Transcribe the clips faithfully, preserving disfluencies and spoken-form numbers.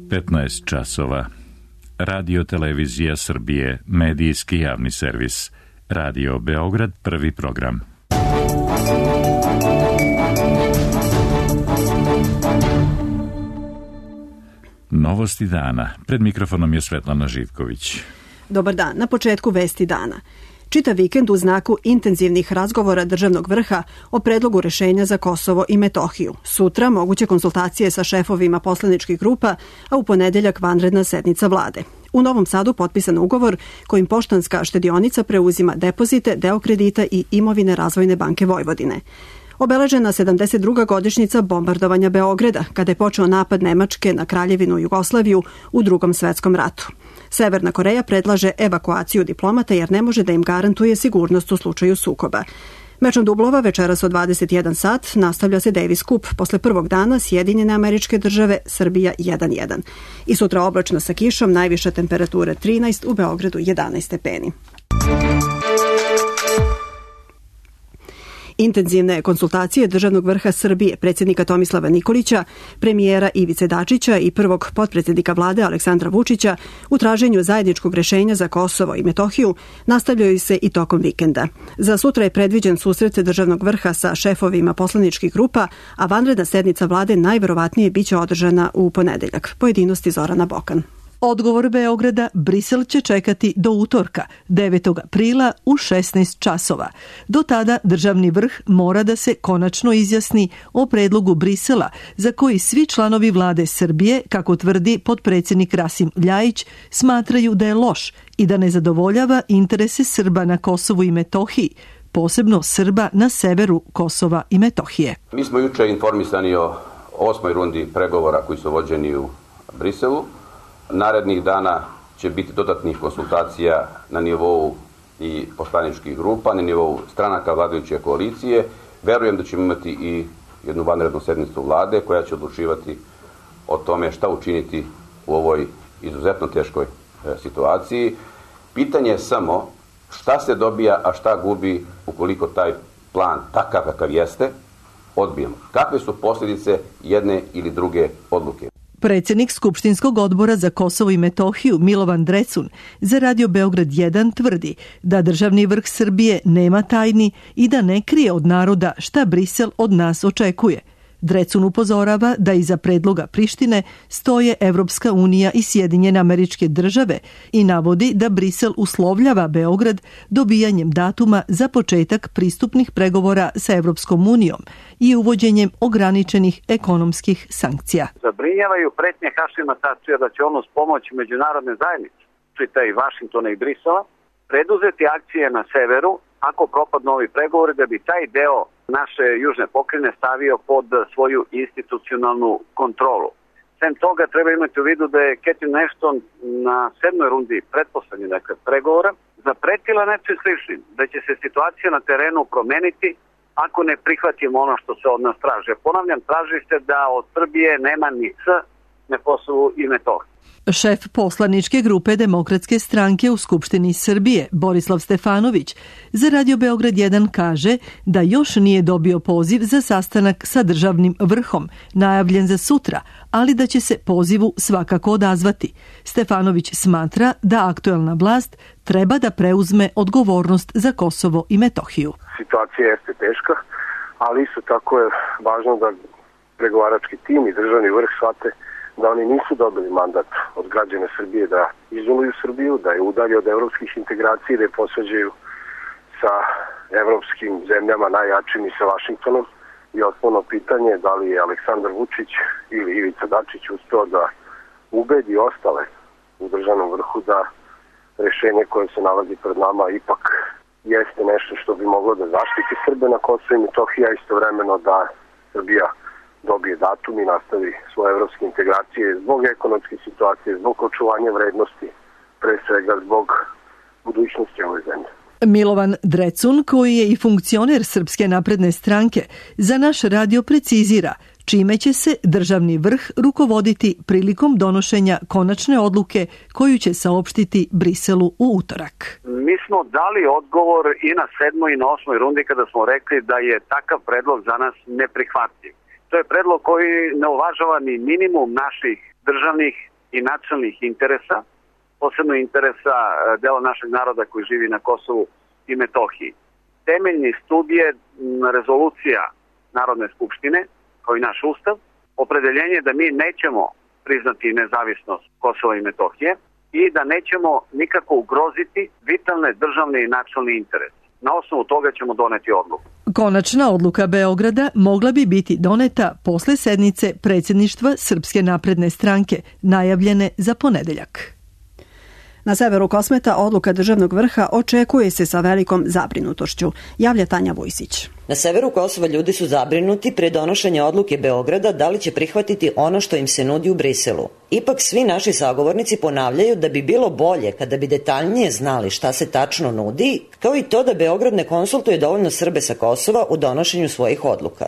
petnaest časova. Radio Televizija Srbije, medijski javni servis. Radio Beograd, prvi program. Novosti dana. Pred mikrofonom je Svetlana Živković. Dobar dan. Na početku vesti dana. Čitav vikend u znaku intenzivnih razgovora državnog vrha o predlogu rešenja za Kosovo i Metohiju. Sutra moguće konsultacije sa šefovima poslaničkih grupa, a u ponedeljak vanredna sednica vlade. U Novom Sadu potpisan ugovor kojim Poštanska štedionica preuzima depozite, deo kredita i imovine Razvojne banke Vojvodine. Obeležena sedamdeset druga godišnjica bombardovanja Beograda, kada je počeo napad Nemačke na Kraljevinu Jugoslaviju u Drugom svetskom ratu. Severna Koreja predlaže evakuaciju diplomata jer ne može da im garantuje sigurnost u slučaju sukoba. Mečom dublova večeras od dvadeset jedan sat nastavlja se Davis Cup posle prvog dana Sjedinjene Američke Države Srbija jedan jedan. I sutra oblačno sa kišom, najviša temperatura trinaest, u Beogradu jedanaest stepeni. Intenzivne konsultacije državnog vrha Srbije, predsjednika Tomislava Nikolića, premijera Ivice Dačića i prvog potpredsjednika vlade Aleksandra Vučića u traženju zajedničkog rešenja za Kosovo i Metohiju nastavljaju se i tokom vikenda. Za sutra je predviđen susret državnog vrha sa šefovima poslaničkih grupa, a vanredna sednica vlade najverovatnije biće održana u ponedeljak. Pojedinosti Zorana Bokan. Odgovor Beograda Brisel će čekati do utorka, devetog aprila u šesnaest časova. Do tada državni vrh mora da se konačno izjasni o predlogu Brisela, za koji svi članovi vlade Srbije, kako tvrdi potpredsjednik Rasim Ljajić, smatraju da je loš i da ne zadovoljava interese Srba na Kosovu i Metohiji, posebno Srba na severu Kosova i Metohije. Mi smo juče informisani o osmoj rundi pregovora koji su vođeni u Briselu. Narednih dana će biti dodatnih konsultacija na nivou i poslaničkih grupa, na nivou stranaka vladajuće koalicije. Verujem da ćemo imati i jednu vanrednu sednicu vlade koja će odlučivati o tome šta učiniti u ovoj izuzetno teškoj situaciji. Pitanje je samo šta se dobija, a šta gubi ukoliko taj plan, takav kakav jeste, odbijemo. Kakve su posljedice jedne ili druge odluke? Predsjednik Skupštinskog odbora za Kosovo i Metohiju Milovan Drecun za Radio Beograd jedan tvrdi da državni vrh Srbije nema tajni i da ne krije od naroda šta Brisel od nas očekuje. Drecun upozorava da iza predloga Prištine stoje Evropska unija i Sjedinjene Američke Države i navodi da Brisel uslovljava Beograd dobijanjem datuma za početak pristupnih pregovora sa Evropskom unijom i uvođenjem ograničenih ekonomskih sankcija. Zabrinjavaju pretnje Hašima Tačija da će on uz pomoć međunarodne zajednice, čitaj Vašingtona i Brisela, preduzeti akcije na severu ako propadnu ovi pregovori, da bi taj deo naše južne pokrajine stavio pod svoju institucionalnu kontrolu. Sem toga treba imati u vidu da je Catherine Ashton na sedmoj rundi pretposlednje dakle, pregovora zapretila nečim sličnim, da će se situacija na terenu promeniti ako ne prihvatimo ono što se od nas traže. Ponavljam, traži se da od Srbije nema ni C na Kosovu i Metohiji. Šef poslaničke grupe Demokratske stranke u Skupštini Srbije, Borislav Stefanović, za Radio Beograd jedan kaže da još nije dobio poziv za sastanak sa državnim vrhom, najavljen za sutra, ali da će se pozivu svakako odazvati. Stefanović smatra da aktuelna vlast treba da preuzme odgovornost za Kosovo i Metohiju. Situacija jeste teška, ali isto tako je važno da pregovarački tim i državni vrh shvate da oni nisu dobili mandat od građana Srbije da izoluju Srbiju, da je udalje od evropskih integracija, da je posvađaju sa evropskim zemljama najjačim i sa Vašingtonom. I osnovno pitanje je da li je Aleksandar Vučić ili Ivica Dačić uspeo da ubedi ostale u državnom vrhu da rešenje koje se nalazi pred nama ipak jeste nešto što bi moglo da zaštiti Srbe na Kosovu i Metohiji, a istovremeno da Srbija dobije datum i nastavi svoje evropske integracije zbog ekonomske situacije, zbog očuvanja vrednosti, pre svega zbog budućnosti ove zemlje. Milovan Drecun, koji je i funkcioner Srpske napredne stranke, za naš radio precizira čime će se državni vrh rukovoditi prilikom donošenja konačne odluke koju će saopštiti Briselu u utorak. Mi smo dali odgovor i na sedmoj i na osmoj rundi kada smo rekli da je takav predlog za nas neprihvatljiv. To je predlog koji ne uvažava ni minimum naših državnih i nacionalnih interesa, posebno interesa dela našeg naroda koji živi na Kosovu i Metohiji. Temeljni stub je rezolucija Narodne skupštine, kao i naš ustav, opredeljenje da mi nećemo priznati nezavisnost Kosova i Metohije i da nećemo nikako ugroziti vitalne državne i nacionalne interese. Na osnovu toga ćemo doneti odluku. Konačna odluka Beograda mogla bi biti doneta posle sednice predsjedništva Srpske napredne stranke, najavljene za ponedeljak. Na severu Kosmeta odluka državnog vrha očekuje se sa velikom zabrinutošću, javlja Tanja Vujsić. Na severu Kosova ljudi su zabrinuti pre donošenja odluke Beograda da li će prihvatiti ono što im se nudi u Briselu. Ipak svi naši sagovornici ponavljaju da bi bilo bolje kada bi detaljnije znali šta se tačno nudi, kao i to da Beograd ne konsultuje dovoljno Srbe sa Kosova u donošenju svojih odluka.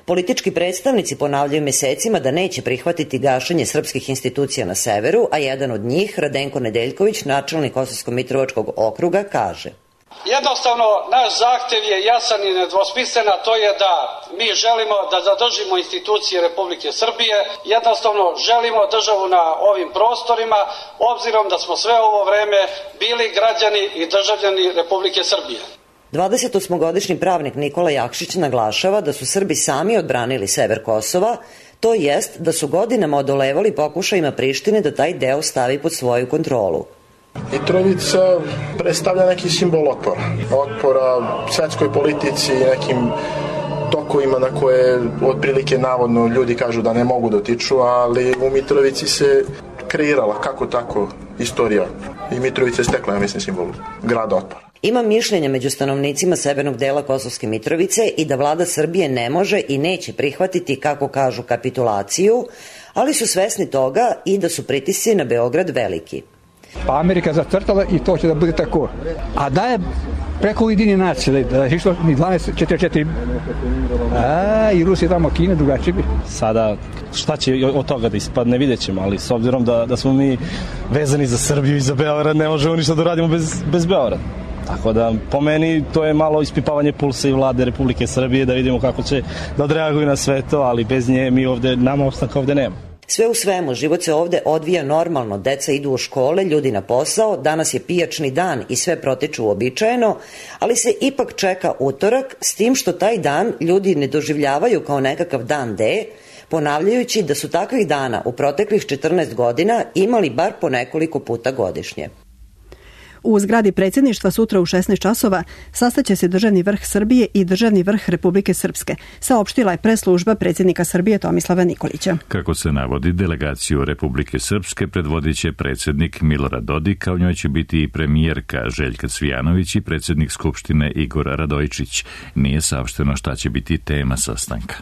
Politički predstavnici ponavljaju mesecima da neće prihvatiti gašenje srpskih institucija na severu, a jedan od njih, Radenko Nedeljković, načelnik Kosovsko-Mitrovačkog okruga, kaže: Jednostavno, naš zahtev je jasan i nedvosmislen, a to je da mi želimo da zadržimo institucije Republike Srbije, jednostavno želimo državu na ovim prostorima, obzirom da smo sve ovo vreme bili građani i državljani Republike Srbije. dvadesetosmogodišnji pravnik Nikola Jakšić naglašava da su Srbi sami odbranili sever Kosova, to jest da su godinama odolevali pokušajima Prištine da taj deo stavi pod svoju kontrolu. Mitrovica predstavlja neki simbol otpora. Otpora svetskoj politici i nekim tokovima na koje otprilike navodno ljudi kažu da ne mogu dotiču, ali u Mitrovici se kreirala kako tako istorija i Mitrovica je stekla, ja mislim, simbol grada otpora. Ima mišljenja među stanovnicima severnog dela Kosovske Mitrovice i da vlada Srbije ne može i neće prihvatiti, kako kažu, kapitulaciju, ali su svesni toga i da su pritisci na Beograd veliki. Pa Amerika zacrtala i to će da bude tako. A da je preko Ujedinjenih nacija, da je išlo ni dvanaest četrdeset četiri, a i Rusija tamo, Kina, drugačije bi. Sada šta će od toga da ispadne, vidjet ćemo, ali s obzirom da, da smo mi vezani za Srbiju i za Beograd, ne možemo ništa da radimo bez, bez Beograda. Tako da, po meni, to je malo ispipavanje pulsa i vlade Republike Srbije, da vidimo kako će da odreaguju na sve to, ali bez nje mi ovde, nama opstanka ovde nema. Sve u svemu, život se ovde odvija normalno, deca idu u škole, ljudi na posao, danas je pijačni dan i sve protiču uobičajeno, ali se ipak čeka utorak, s tim što taj dan ljudi ne doživljavaju kao nekakav dan D, ponavljajući da su takvih dana u proteklih četrnaest godina imali bar po nekoliko puta godišnje. U zgradi predsjedništva sutra u šesnaest časova sastaće se državni vrh Srbije i državni vrh Republike Srpske, saopštila je preslužba predsjednika Srbije Tomislava Nikolića. Kako se navodi, delegaciju Republike Srpske predvodit će predsjednik Milorad Dodik, a u njoj će biti i premijerka Željka Cvijanović i predsjednik Skupštine Igor Radojičić. Nije saopšteno šta će biti tema sastanka.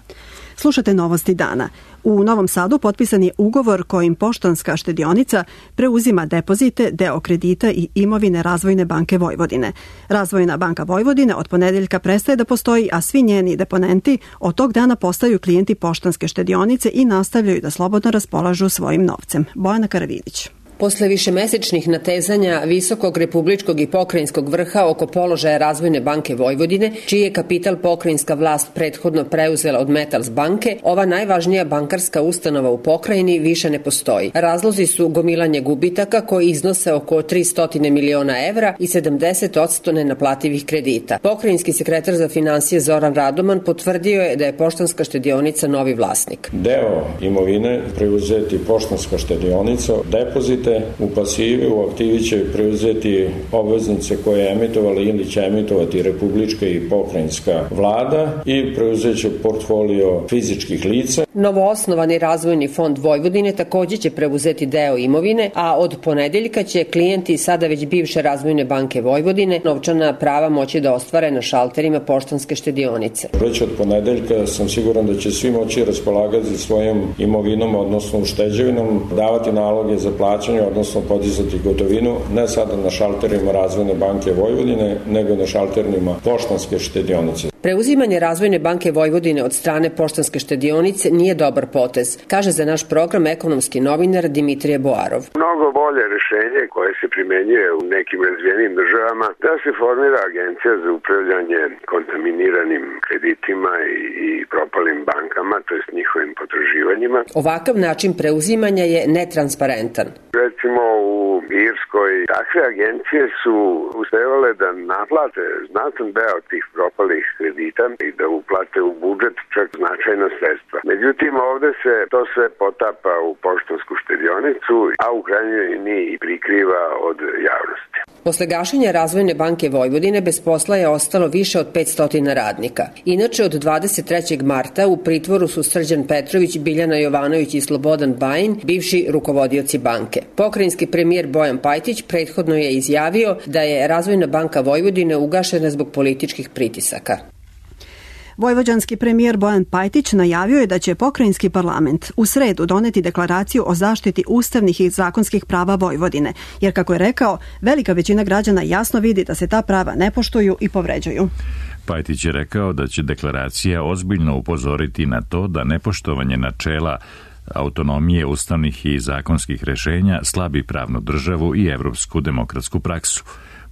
Slušate novosti dana. U Novom Sadu potpisan je ugovor kojim Poštanska štedionica preuzima depozite, deo kredita i imovine Razvojne banke Vojvodine. Razvojna banka Vojvodine od ponedeljka prestaje da postoji, a svi njeni deponenti od tog dana postaju klijenti Poštanske štedionice i nastavljaju da slobodno raspolažu svojim novcem. Bojana Karavidić. Posle višemesečnih natezanja visokog republičkog i pokrajinskog vrha oko položaja Razvojne banke Vojvodine, čiji je kapital pokrajinska vlast prethodno preuzela od Metals banke, ova najvažnija bankarska ustanova u pokrajini više ne postoji. Razlozi su gomilanje gubitaka koji iznose oko tristo miliona evra i sedamdeset posto nenaplativih kredita. Pokrajinski sekretar za finansije Zoran Radoman potvrdio je da je Poštanska štedionica novi vlasnik. Deo imovine preuzeti Poštanska štedionica, depozit u pasivi, u aktivi će preuzeti obveznice koje je emitovala ili će emitovati republička i pokrajinska vlada i preuzet će portfolio fizičkih lica. Novoosnovani Razvojni fond Vojvodine također će preuzeti deo imovine, a od ponedeljka će klijenti sada već bivše Razvojne banke Vojvodine novčana prava moći da ostvare na šalterima Poštanske štedionice. Već od ponedeljka sam siguran da će svi moći raspolagati svojom imovinom, odnosno ušteđevinom, davati naloge za plaćanje, odnosno podizati gotovinu, ne sada na šalterima Razvojne banke Vojvodine, nego na šalterima Poštanske štedionice. Preuzimanje Razvojne banke Vojvodine od strane Poštanske štedionice nije dobar potez, kaže za naš program ekonomski novinar Dimitrije Boarov. Mnogo bolje rešenje koje se primenjuje u nekim razvijenim državama da se formira agencija za upravljanje kontaminiranim kreditima i, i propalim bankama. to jest njihovim potraživanjima. Ovakav način preuzimanja je netransparentan. Recimo u Irskoj takve agencije su uspevale da naplate znatan deo tih propalih kredita i da uplate u budžet čak značajna sredstva. Međutim, ovde se to sve potapa u poštansku štedionicu, a u krajnjoj liniji i prikriva od javnosti. Posle gašenja Razvojne banke Vojvodine bez posla je ostalo više od petsto radnika. Inače, od dvadeset trećeg marta u pritvoru su Srđan Petrović, Biljana Jovanović i Slobodan Bajin, bivši rukovodioci banke. Pokrajinski premijer Bojan Pajtić prethodno je izjavio da je Razvojna banka Vojvodine ugašena zbog političkih pritisaka. Vojvođanski premijer Bojan Pajtić najavio je da će pokrajinski parlament u sredu doneti deklaraciju o zaštiti ustavnih i zakonskih prava Vojvodine, jer kako je rekao, velika većina građana jasno vidi da se ta prava ne poštuju i povređuju. Pajtić je rekao da će deklaracija ozbiljno upozoriti na to da nepoštovanje načela autonomije ustavnih i zakonskih rešenja slabi pravnu državu i evropsku demokratsku praksu.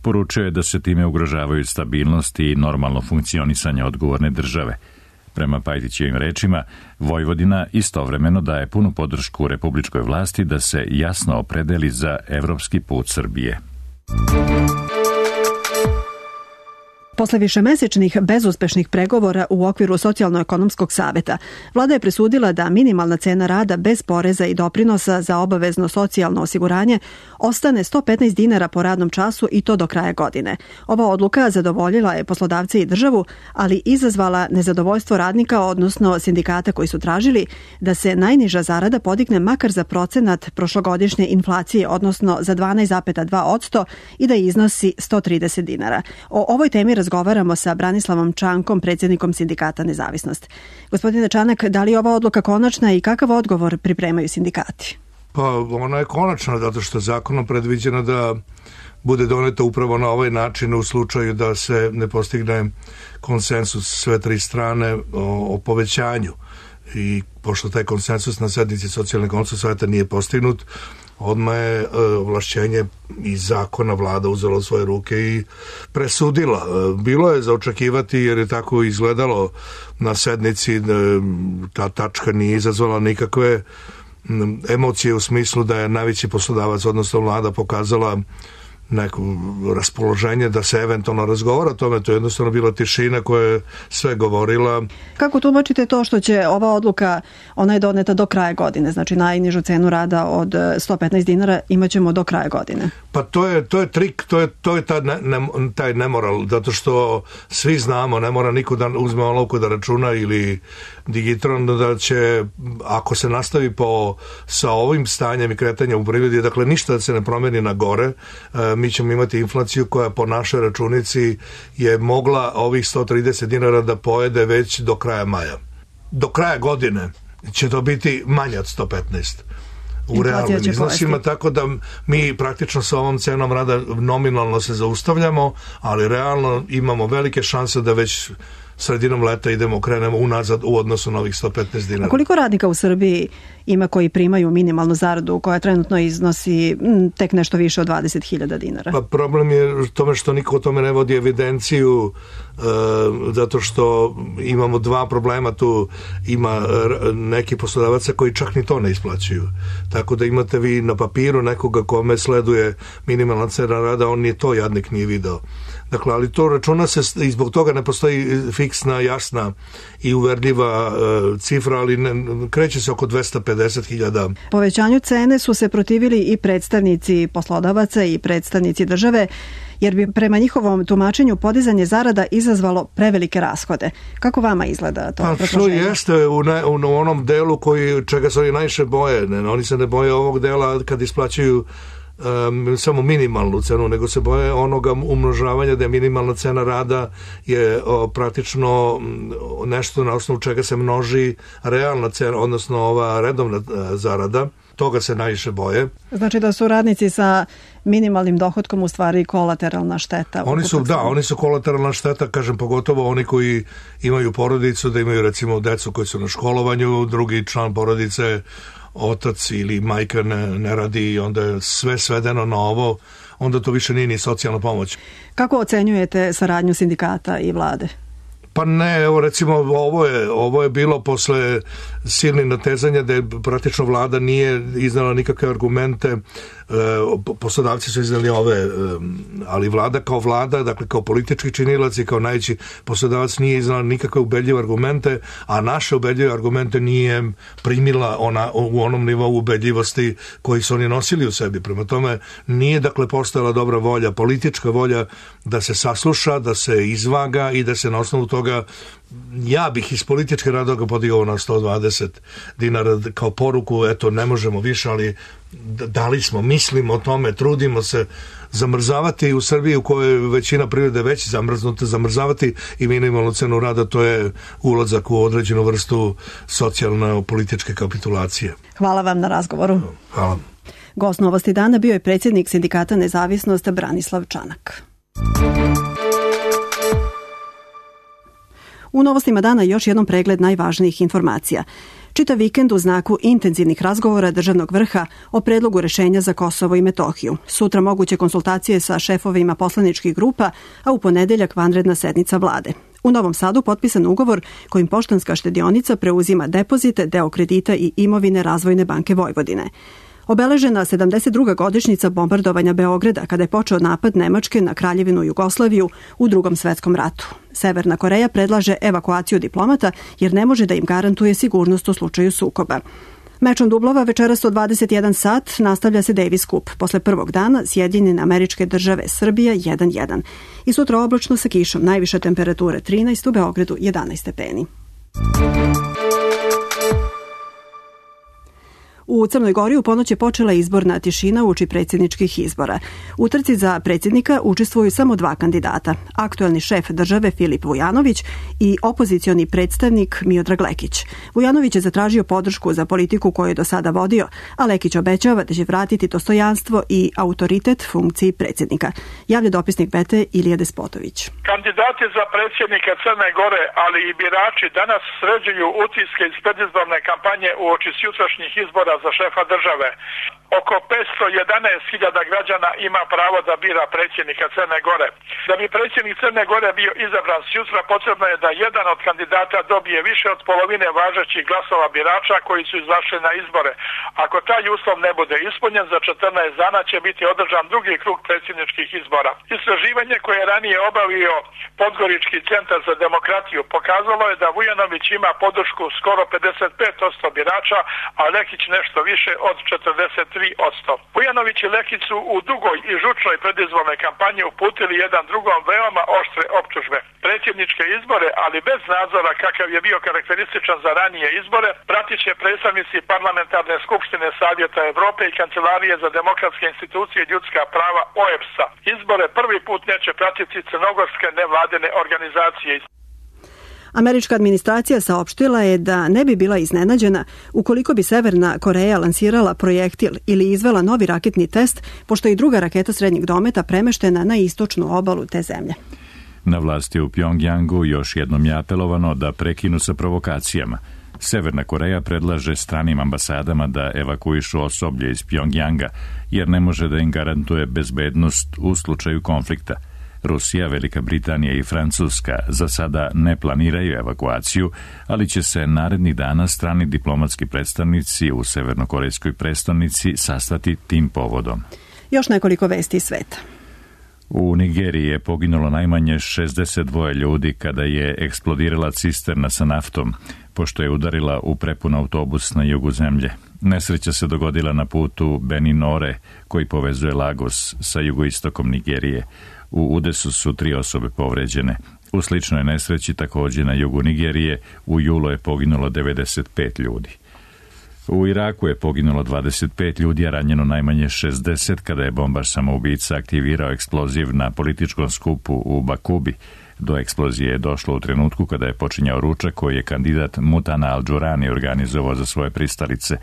Poručio je da se time ugrožavaju stabilnost i normalno funkcionisanje odgovorne države. Prema Pajtićevim rečima, Vojvodina istovremeno daje punu podršku republičkoj vlasti da se jasno opredeli za evropski put Srbije. Posle višemesečnih bezuspešnih pregovora u okviru Socijalno-ekonomskog saveta, vlada je presudila da minimalna cena rada bez poreza i doprinosa za obavezno socijalno osiguranje ostane sto petnaest dinara po radnom času i to do kraja godine. Ova odluka zadovoljila je poslodavce i državu, ali izazvala nezadovoljstvo radnika, odnosno sindikata koji su tražili da se najniža zarada podigne makar za procenat prošlogodišnje inflacije, odnosno za dvanaest zarez dva posto i da iznosi sto trideset dinara. O ovoj temi razgovaramo sa Branislavom Čankom, predsjednikom Sindikata Nezavisnost. Gospodine Čanak, da li je ova odluka konačna i kakav odgovor pripremaju sindikati? Pa ona je konačna, zato što je zakonom predviđeno da bude doneta upravo na ovaj način u slučaju da se ne postigne konsensus sve tri strane o, o povećanju. I pošto taj konsensus na sednici Socijalno-ekonomskog saveta nije postignut, odmah je ovlašćenje iz zakona vlada uzela u svoje ruke i presudila. Bilo je za očekivati, jer je tako izgledalo na sednici, ta tačka nije izazvala nikakve emocije u smislu da je najveći poslodavac, odnosno vlada, pokazala neko raspoloženje da se eventualno razgovara o tome. To je jednostavno bila tišina koja je sve govorila. Kako tumačite to što će ova odluka, ona je doneta do kraja godine, znači najnižu cenu rada od sto petnaest dinara imaćemo do kraja godine? Pa to je, to je trik, to je, to je ta ne, ne, taj nemoral, zato što svi znamo, ne mora niko da uzme olovku da računa ili digitron, da će, ako se nastavi po, sa ovim stanjem i kretanjem u privredi, dakle ništa da se ne promeni na gore, e, mi ćemo imati inflaciju koja po našoj računici je mogla ovih sto trideset dinara da pojede već do kraja maja. Do kraja godine će to biti manje od sto petnaest u realnim iznosima, tako da mi praktično sa ovom cenom rada nominalno se zaustavljamo, ali realno imamo velike šanse da već sredinom leta idemo, krenemo unazad u odnosu na ovih sto petnaest dinara. A koliko radnika u Srbiji ima koji primaju minimalnu zaradu koja trenutno iznosi m, tek nešto više od dvadeset hiljada dinara? Pa problem je u tome što niko o tome ne vodi evidenciju, e, zato što imamo dva problema tu. Ima neki poslodavaca koji čak ni to ne isplaćuju. Tako da imate vi na papiru nekoga kome sleduje minimalna cena rada, on nije to jadnik nije video. Dakle, ali to računa se i zbog toga ne postoji fiksna, jasna i uverljiva e, cifra, ali ne, kreće se oko dvesta pedeset hiljada. Povećanju cene su se protivili i predstavnici poslodavaca i predstavnici države, jer bi prema njihovom tumačenju podizanje zarada izazvalo prevelike rashode. Kako vama izgleda to? Pa što jeste u, ne, u onom delu koji, čega se oni najviše boje. Ne, oni se ne boje ovog dela kad isplaćuju Um, samo minimalnu cenu, nego se boje onoga umnožavanja da je minimalna cena rada je o, praktično nešto na osnovu čega se množi realna cena, odnosno ova redovna a, zarada. Toga se najviše boje. Znači da su radnici sa minimalnim dohodkom u stvari kolateralna šteta. Oni su, da, oni su kolateralna šteta, kažem, pogotovo oni koji imaju porodicu, da imaju recimo decu koji su na školovanju, drugi član porodice, otac ili majka ne, ne radi i onda je sve svedeno na ovo, onda to više nije ni socijalna pomoć. Kako ocenjujete saradnju sindikata i vlade? Pa ne, evo recimo ovo je, ovo je bilo posle silnih natezanja da je praktično vlada nije iznala nikakve argumente, poslodavci su iznali ove, ali vlada kao vlada, dakle kao politički činilac i kao najveći poslodavac nije iznala nikakve ubedljive argumente, a naše ubedljive argumente nije primila ona, u onom nivou ubedljivosti koji su oni nosili u sebi. Prema tome nije dakle postojala dobra volja, politička volja da se sasluša, da se izvaga i da se na osnovu toga, ja bih iz političke razloga podigao na sto dvadeset dinara kao poruku, eto ne možemo više, ali dali smo, mislimo o tome, trudimo se. Zamrzavati u Srbiji u kojoj većina privrede već zamrznuta, zamrzavati i minimalnu cenu rada, to je ulazak u određenu vrstu socijalno-političke kapitulacije. Hvala vam na razgovoru. Hvala. Gost Novosti dana bio je predsjednik Sindikata Nezavisnost Branislav Čanak. U Novostima dana još jednom pregled najvažnijih informacija. Čitav vikend u znaku intenzivnih razgovora državnog vrha o predlogu rešenja za Kosovo i Metohiju. Sutra moguće konsultacije sa šefovima poslaničkih grupa, a u ponedeljak vanredna sednica vlade. U Novom Sadu potpisan ugovor kojim Poštanska štedionica preuzima depozite, deo kredita i imovine Razvojne banke Vojvodine. Obeležena sedamdeset druga godišnjica bombardovanja Beograda kada je počeo napad Nemačke na Kraljevinu Jugoslaviju u Drugom svetskom ratu. Severna Koreja predlaže evakuaciju diplomata jer ne može da im garantuje sigurnost u slučaju sukoba. Mečom dublova večeras od dvadeset jedan sat nastavlja se Davis Cup. Posle prvog dana Sjedinjene Američke Države Srbija jedan jedan. I sutra oblačno sa kišom, najviša temperature trinaest, u Beogradu jedanaest stepeni. U Crnoj Gori u ponoć je počela izborna tišina uoči predsjedničkih izbora. U trci za predsjednika učestvuju samo dva kandidata, aktuelni šef države Filip Vujanović i opozicioni predstavnik Miodrag Lekić. Vujanović je zatražio podršku za politiku koju je do sada vodio, a Lekić obećava da će vratiti dostojanstvo i autoritet funkciji predsjednika. Javlja dopisnik B T Ilija Despotović. Kandidati za predsjednika Crne Gore, ali i birači danas sređuju utiske iz predizborne kampanje uoči sutrašnjih izbora za šefa države. Oko petsto jedanaest hiljada građana ima pravo da bira predsjednika Crne Gore. Da bi predsjednik Crne Gore bio izabran sutra, potrebno je da jedan od kandidata dobije više od polovine važećih glasova birača koji su izašli na izbore. Ako taj uslov ne bude ispunjen, za četrnaest dana će biti održan drugi krug predsjedničkih izbora. Istraživanje koje je ranije obavio Podgorički centar za demokratiju pokazalo je da Vujanović ima podršku skoro pedeset pet posto birača, a Lekić nešto više od četrdeset tri posto. Vujanović i Lekić su u dugoj i žučnoj predizbornoj kampanji uputili jedan drugom veoma oštre optužbe. Predsjedničke izbore, ali bez nadzora kakav je bio karakterističan za ranije izbore, pratit će predstavnici Parlamentarne skupštine Savjeta Evrope i Kancelarije za demokratske institucije i ljudska prava O E B S-a. Izbore prvi put neće pratiti crnogorske nevladine organizacije. Američka administracija saopštila je da ne bi bila iznenađena ukoliko bi Severna Koreja lansirala projektil ili izvela novi raketni test, pošto je i druga raketa srednjeg dometa premeštena na istočnu obalu te zemlje. Na vlasti u Pjongjangu još jednom je apelovano da prekinu sa provokacijama. Severna Koreja predlaže stranim ambasadama da evakuišu osoblje iz Pjongjanga, jer ne može da im garantuje bezbednost u slučaju konflikta. Rusija, Velika Britanija i Francuska za sada ne planiraju evakuaciju, ali će se narednih dana strani diplomatski predstavnici u severnokorejskoj prestonici sastati tim povodom. Još nekoliko vesti iz sveta. U Nigeriji je poginulo najmanje šezdeset dva ljudi kada je eksplodirala cisterna sa naftom, pošto je udarila u prepun autobus na jugu zemlje. Nesreća se dogodila na putu Beninore, koji povezuje Lagos sa jugoistokom Nigerije. U udesu su tri osobe povređene. U sličnoj nesreći također na jugu Nigerije u julu je poginulo devedeset pet ljudi. U Iraku je poginulo dvadeset pet ljudi, a ranjeno najmanje šezdeset kada je bombaš samoubica aktivirao eksploziv na političkom skupu u Bakubi. Do eksplozije je došlo u trenutku kada je počinjao ručak koji je kandidat Mutana Al-Đurani organizovao za svoje pristalice.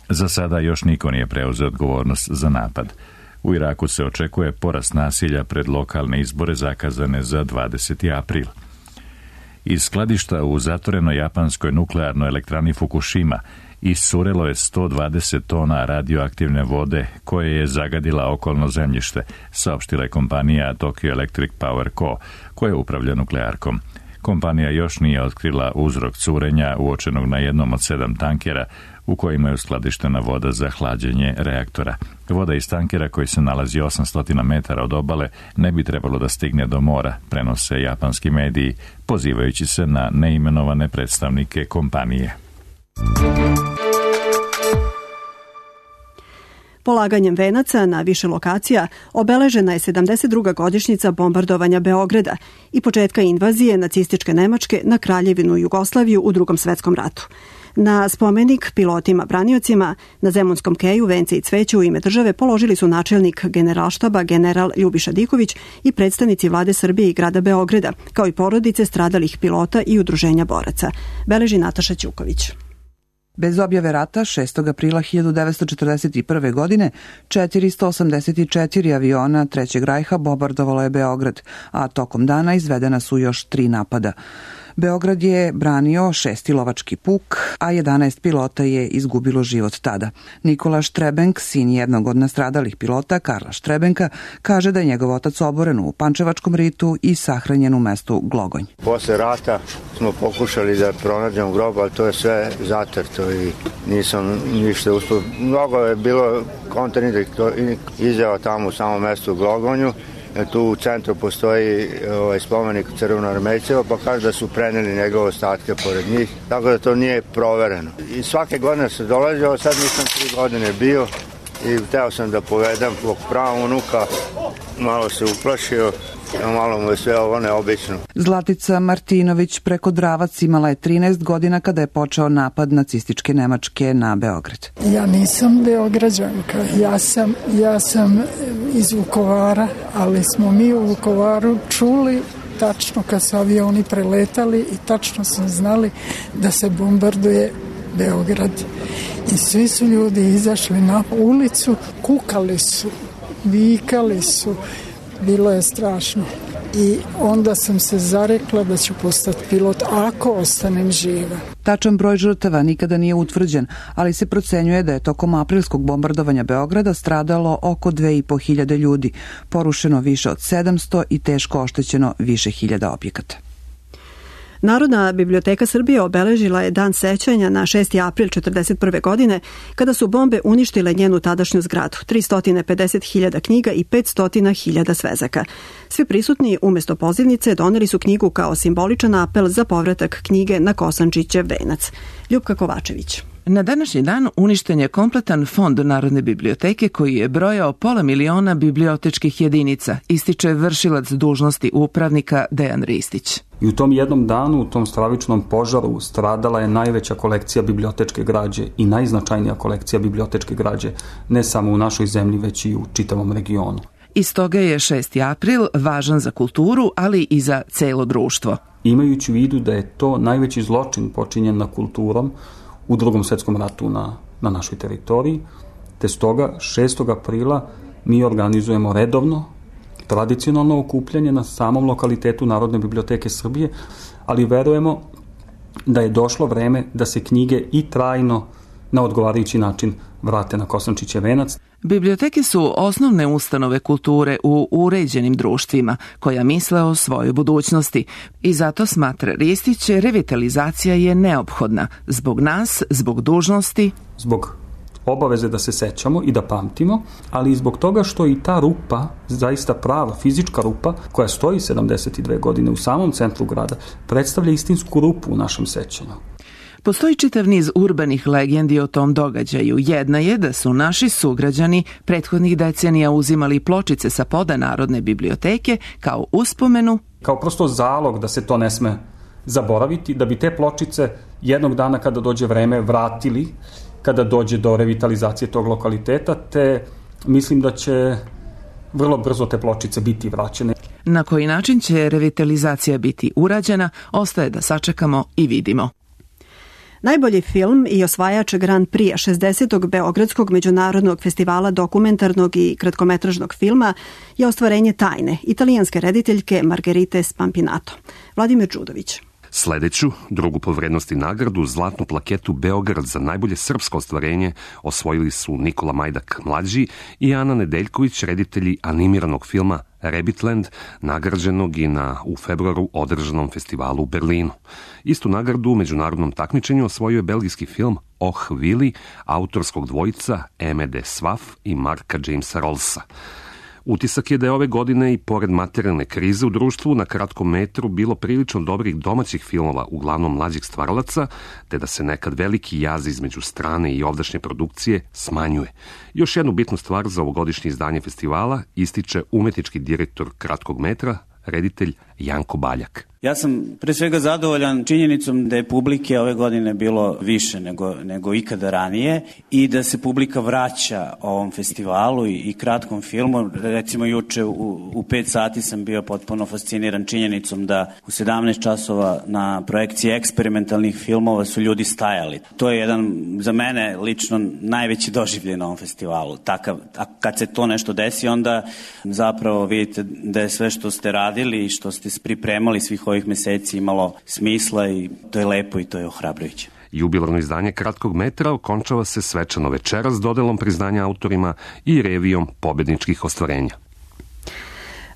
Za sada još niko nije preuzeo odgovornost za napad. U Iraku se očekuje porast nasilja pred lokalne izbore zakazane za dvadeseti april. Iz skladišta u zatvorenoj japanskoj nuklearnoj elektrani Fukushima iscurelo je sto dvadeset tona radioaktivne vode koje je zagadila okolno zemljište, saopštila je kompanija Tokyo Electric Power Co., koja upravlja nuklearkom. Kompanija još nije otkrila uzrok curenja uočenog na jednom od sedam tankera u kojima je uskladištena voda za hlađenje reaktora. Voda iz tankera koji se nalazi osamsto metara od obale ne bi trebalo da stigne do mora, prenose japanski mediji, pozivajući se na neimenovane predstavnike kompanije. Polaganjem venaca na više lokacija obeležena je sedamdeset druga godišnjica bombardovanja Beograda i početka invazije nacističke Nemačke na Kraljevinu Jugoslaviju u Drugom svetskom ratu. Na spomenik pilotima braniocima na Zemunskom keju vence i cveće u ime države položili su načelnik Generalštaba general Ljubiša Diković i predstavnici vlade Srbije i grada Beograda, kao i porodice stradalih pilota i udruženja boraca. Beleži Nataša Ćuković. Bez objave rata, šestog aprila hiljadu devetsto četrdeset prve. godine, četiristo osamdeset četiri aviona Trećeg rajha bombardovalo je Beograd, a tokom dana izvedena su još tri napada. Beograd je branio šesti lovački puk, a jedanaest pilota je izgubilo život tada. Nikola Štrebenk, sin jednog od nastradalih pilota, Karla Štrebenka, kaže da je njegov otac oboren u Pančevačkom ritu i sahranjen u mestu Glogonj. Posle rata smo pokušali da pronađemo grob, ali to je sve zatrto i nisam ništa uspio. Mnogo je bilo kontradiktornih izjava tamo u samom mestu Glogonju. Tu u centru postoji ovaj spomenik crvenoarmejceva, pa kaže da su preneli njegove ostatke pored njih, tako da to nije provereno. I svake godine se dolazio, sad nisam tri godine bio i hteo sam da povedem svog prava unuka, malo se uplašio, malo mu je sve ovo neobično. Zlatica Martinović preko Dravac imala je trinaest godina kada je počeo napad nacističke Nemačke na Beograd. Ja nisam Beograđanka, ja sam, ja sam iz Vukovara, ali smo mi u Vukovaru čuli tačno kad su avioni preletali i tačno smo znali da se bombarduje Beograd. I svi su ljudi izašli na ulicu, kukali su, vikali su, bilo je strašno. I onda sam se zarekla da ću postati pilot ako ostanem živa. Tačan broj žrtava nikada nije utvrđen, ali se procenjuje da je tokom aprilskog bombardovanja Beograda stradalo oko dve i po hiljade ljudi, porušeno više od sedamsto i teško oštećeno više hiljada objekata. Narodna biblioteka Srbije obeležila je dan sećanja na šesti april četrdeset prve. godine, kada su bombe uništile njenu tadašnju zgradu, tristo pedeset hiljada knjiga i petsto hiljada svezaka. Svi prisutni umesto pozivnice doneli su knjigu kao simboličan apel za povratak knjige na Kosančićev venac. Ljupka Kovačević. Na današnji dan uništen je kompletan fond Narodne biblioteke koji je brojao pola miliona bibliotečkih jedinica, ističe vršilac dužnosti upravnika Dejan Ristić. I u tom jednom danu, u tom stravičnom požaru, stradala je najveća kolekcija bibliotečke građe i najznačajnija kolekcija bibliotečke građe, ne samo u našoj zemlji, već i u čitavom regionu. Iz toga je šesti april važan za kulturu, ali i za celo društvo. Imajući u vidu da je to najveći zločin počinjen na kulturom u Drugom svetskom ratu na, na našoj teritoriji, te stoga šestog aprila mi organizujemo redovno tradicionalno okupljanje na samom lokalitetu Narodne biblioteke Srbije, ali verujemo da je došlo vreme da se knjige i trajno na odgovarajući način vrate na Kosančićev venac. Biblioteke su osnovne ustanove kulture u uređenim društvima koja misle o svojoj budućnosti i zato smatra Ristić revitalizacija je neophodna zbog nas, zbog dužnosti, zbog obaveze da se sećamo i da pamtimo, ali i zbog toga što i ta rupa, zaista prava fizička rupa koja stoji sedamdeset dve godine u samom centru grada, predstavlja istinsku rupu u našem sećanju. Postoji čitav niz urbanih legendi o tom događaju. Jedna je da su naši sugrađani prethodnih decenija uzimali pločice sa poda Narodne biblioteke kao uspomenu, kao prosto zalog da se to ne sme zaboraviti, da bi te pločice jednog dana kada dođe vreme vratili, kada dođe do revitalizacije tog lokaliteta, te mislim da će vrlo brzo te pločice biti vraćene. Na koji način će revitalizacija biti urađena, ostaje da sačekamo i vidimo. Najbolji film i osvajač Grand Prix šezdesetog Beogradskog međunarodnog festivala dokumentarnog i kratkometražnog filma je Ostvarenje tajne italijanske rediteljke Margherite Spampinato. Vladimir Đudović. Sledeću, drugu po vrednosti nagradu, zlatnu plaketu Beograd za najbolje srpsko ostvarenje osvojili su Nikola Majdak mlađi i Ana Nedeljković, reditelji animiranog filma Rabbitland, nagrađenog i na u februaru održanom festivalu u Berlinu. Istu nagradu u međunarodnom takmičenju osvojio je belgijski film Oh Willy, autorskog dvojica Emede Svaf i Marka Jamesa Rollsa. Utisak je da je ove godine i pored materijalne krize u društvu na kratkom metru bilo prilično dobrih domaćih filmova, uglavnom mlađih stvaralaca, te da se nekad veliki jaz između strane i ovdašnje produkcije smanjuje. Još jednu bitnu stvar za ovogodišnje izdanje festivala ističe umetnički direktor kratkog metra, reditelj Janko Baljak. Ja sam pre svega zadovoljan činjenicom da je publike ove godine bilo više nego, nego ikada ranije i da se publika vraća ovom festivalu i, i kratkom filmu. Recimo juče u, u pet sati sam bio potpuno fasciniran činjenicom da u sedamnaest časova na projekciji eksperimentalnih filmova su ljudi stajali. To je jedan za mene lično najveći doživljaj na ovom festivalu. Takav, a kad se to nešto desi, onda zapravo vidite da je sve što ste radili i što ste pripremali svih ovih meseci imalo smisla i to je lepo i to je ohrabrujuće. Jubilarno izdanje kratkog metra okončava se svečano večeras dodelom priznanja autorima i revijom pobedničkih ostvarenja.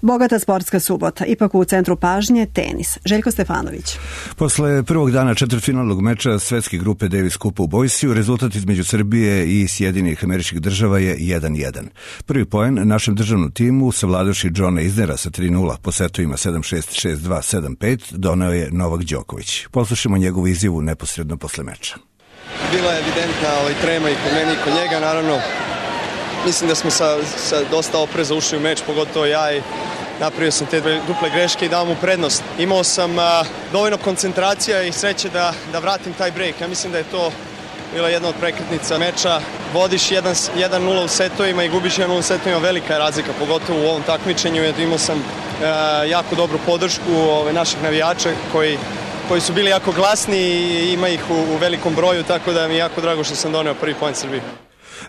Bogata sportska subota, ipak u centru pažnje tenis. Željko Stefanović. Posle prvog dana četvrtfinalnog meča svetske grupe Davis Kupa u Boisiju, rezultat između Srbije i Sjedinjenih Američkih Država je jedan jedan. Prvi poen našem državnom timu, savladavši Johna Isnera sa tri nula po setovima sedam šest, šest dva, sedam pet, doneo je Novak Đoković. Poslušamo njegovu izjavu neposredno posle meča. Bila je evidentna ovaj trema i kod meni i kod njega, naravno. Mislim da smo sa, sa dosta opreza ušli u meč, pogotovo ja, i napravio sam te duple greške i dao mu prednost. Imao sam a, dovoljno koncentracija i sreće da, da vratim taj break. Ja mislim da je to bila jedna od prekretnica meča. Vodiš jedan nula u setovima i gubiš jedan nula u setovima, velika je razlika, pogotovo u ovom takmičenju. Imao sam a, jako dobru podršku ove, naših navijača koji, koji su bili jako glasni i ima ih u, u velikom broju, tako da mi je jako drago što sam doneo prvi poen Srbiji.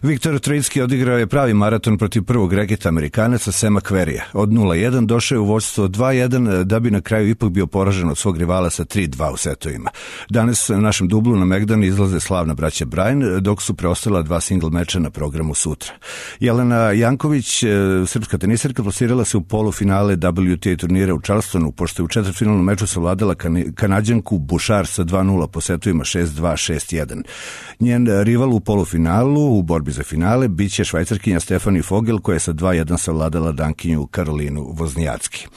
Viktor Trojicki odigrao je pravi maraton protiv prvog reketa Amerikanaca Sema Querrya. Od nula jedan došao je u vođstvo dva jedan, da bi na kraju ipak bio poražen od svog rivala sa tri dva u setovima. Danas na našem dublu na Megdan izlaze slavna braća Bryan, dok su preostala dva single meča na programu sutra. Jelena Janković, srpska tenisarka, plasirala se u polufinale W T A turnira u Charlestonu, pošto je u četvrtfinalnom meču savladala kan- Kanadjanku Bouchard sa dva nula po setovima šest dva, šest jedan. Njen rival u polufinalu u borbi za finale biće švajcarkinja Stefani Fogel, koja je sa dva jedan savladala Dankinju Karolinu Voznijacki.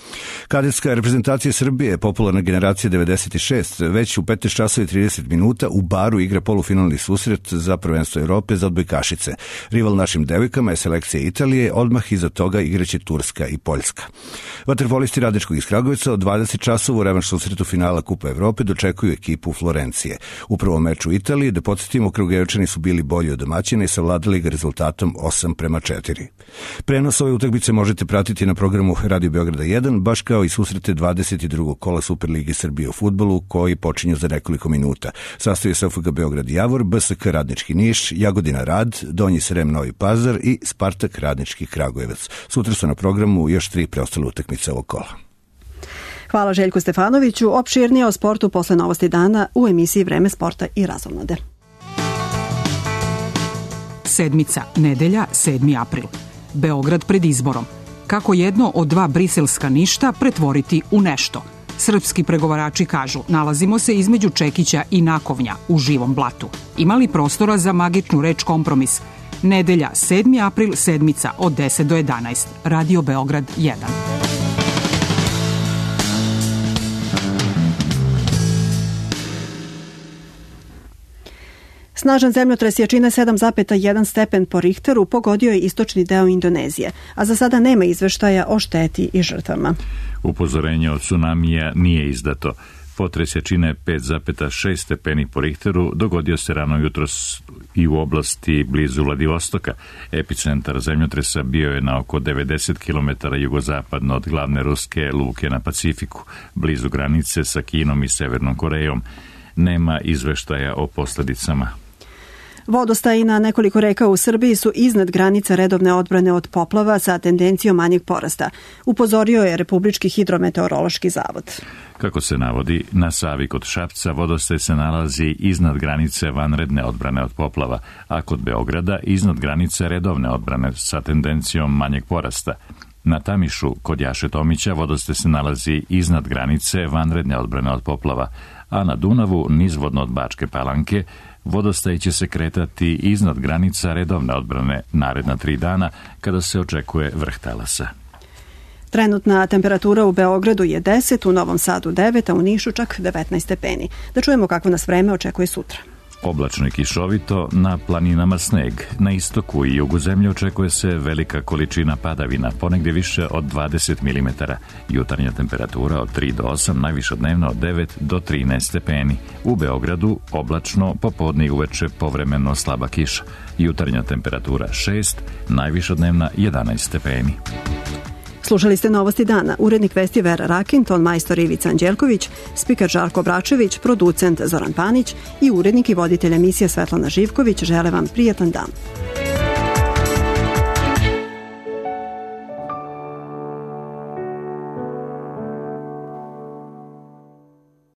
Kadetska reprezentacija Srbije, popularna generacija devedeset šest, već u petnaest časova i trideset minuta u Baru igra polufinalni susret za prvenstvo Evrope za odbojkašice. Rival našim devojkama je selekcija Italije, odmah iza toga igraće Turska i Poljska. Vaterpolisti Radničkog iz Kragujevca od dvadeset časova u revanš susretu finala Kupa Evrope dočekuju ekipu Florencije. U prvom meču Italije, da podsjetimo, Kragujevčani su bili bolji od domaćina i savladali ga rezultatom osam prema četiri. Prenos ove utakmice možete pratiti na programu Radio Beograda jedan, baš kao i susrete dvadeset drugog kola Superligi Srbije u fudbalu, koji počinju za nekoliko minuta. Sastoji se F K Beograd Javor, B S K Radnički Niš, Jagodina Rad, Donji Srem Novi Pazar i Spartak Radnički Kragujevac. Sutra su na programu još tri preostale utakmice ovog kola. Hvala Željku Stefanoviću. Opširnije o sportu posle Novosti dana u emisiji Vreme sporta i razonode. Sedmica, nedelja, sedmi april. Beograd pred izborom. Kako jedno od dva briselska ništa pretvoriti u nešto? Srpski pregovarači kažu, nalazimo se između Čekića i Nakovnja u živom blatu. Ima li prostora za magičnu reč kompromis? Nedelja, sedmi april, sedmica od deset do jedanaest. Radio Beograd jedan. Snažan zemljotres jačine sedam zarez jedan stepen po Richteru pogodio je istočni deo Indonezije, a za sada nema izveštaja o šteti i žrtvama. Upozorenje od tsunamija nije izdato. Potres jačine pet zarez šest stepeni po Richteru dogodio se rano jutros i u oblasti blizu Vladivostoka. Epicentar zemljotresa bio je na oko devedeset kilometara jugozapadno od glavne ruske luke na Pacifiku, blizu granice sa Kinom i Severnom Korejom. Nema izveštaja o posledicama. Vodostaji na nekoliko reka u Srbiji su iznad granice redovne odbrane od poplava sa tendencijom manjeg porasta, upozorio je Republički hidrometeorološki zavod. Kako se navodi, na Savi kod Šapca vodostaj se nalazi iznad granice vanredne odbrane od poplava, a kod Beograda iznad granice redovne odbrane sa tendencijom manjeg porasta. Na Tamišu kod Jaše Tomića vodostaj se nalazi iznad granice vanredne odbrane od poplava, a na Dunavu nizvodno od Bačke Palanke vodostaj će se kretati iznad granica redovne odbrane naredna tri dana kada se očekuje vrh talasa. Trenutna temperatura u Beogradu je deset, u Novom Sadu devet, a u Nišu čak devetnaest stepeni. Da čujemo kako nas vreme očekuje sutra. Oblačno i kišovito, na planinama sneg. Na istoku i jugu zemlje očekuje se velika količina padavina, ponegdje više od dvadeset milimetara. Jutarnja temperatura od tri do osam, najviša dnevna od devet do trinaest stepeni. U Beogradu oblačno, popodne i uveče povremeno slaba kiša. Jutarnja temperatura šest, najviša dnevna jedanaest stepeni. Slušali ste Novosti dana. Urednik vesti Vera Rakin, ton majstor Ivica Anđelković, spiker Žarko Bračević, producent Zoran Panić i urednik i voditelj emisije Svetlana Živković žele vam prijatan dan.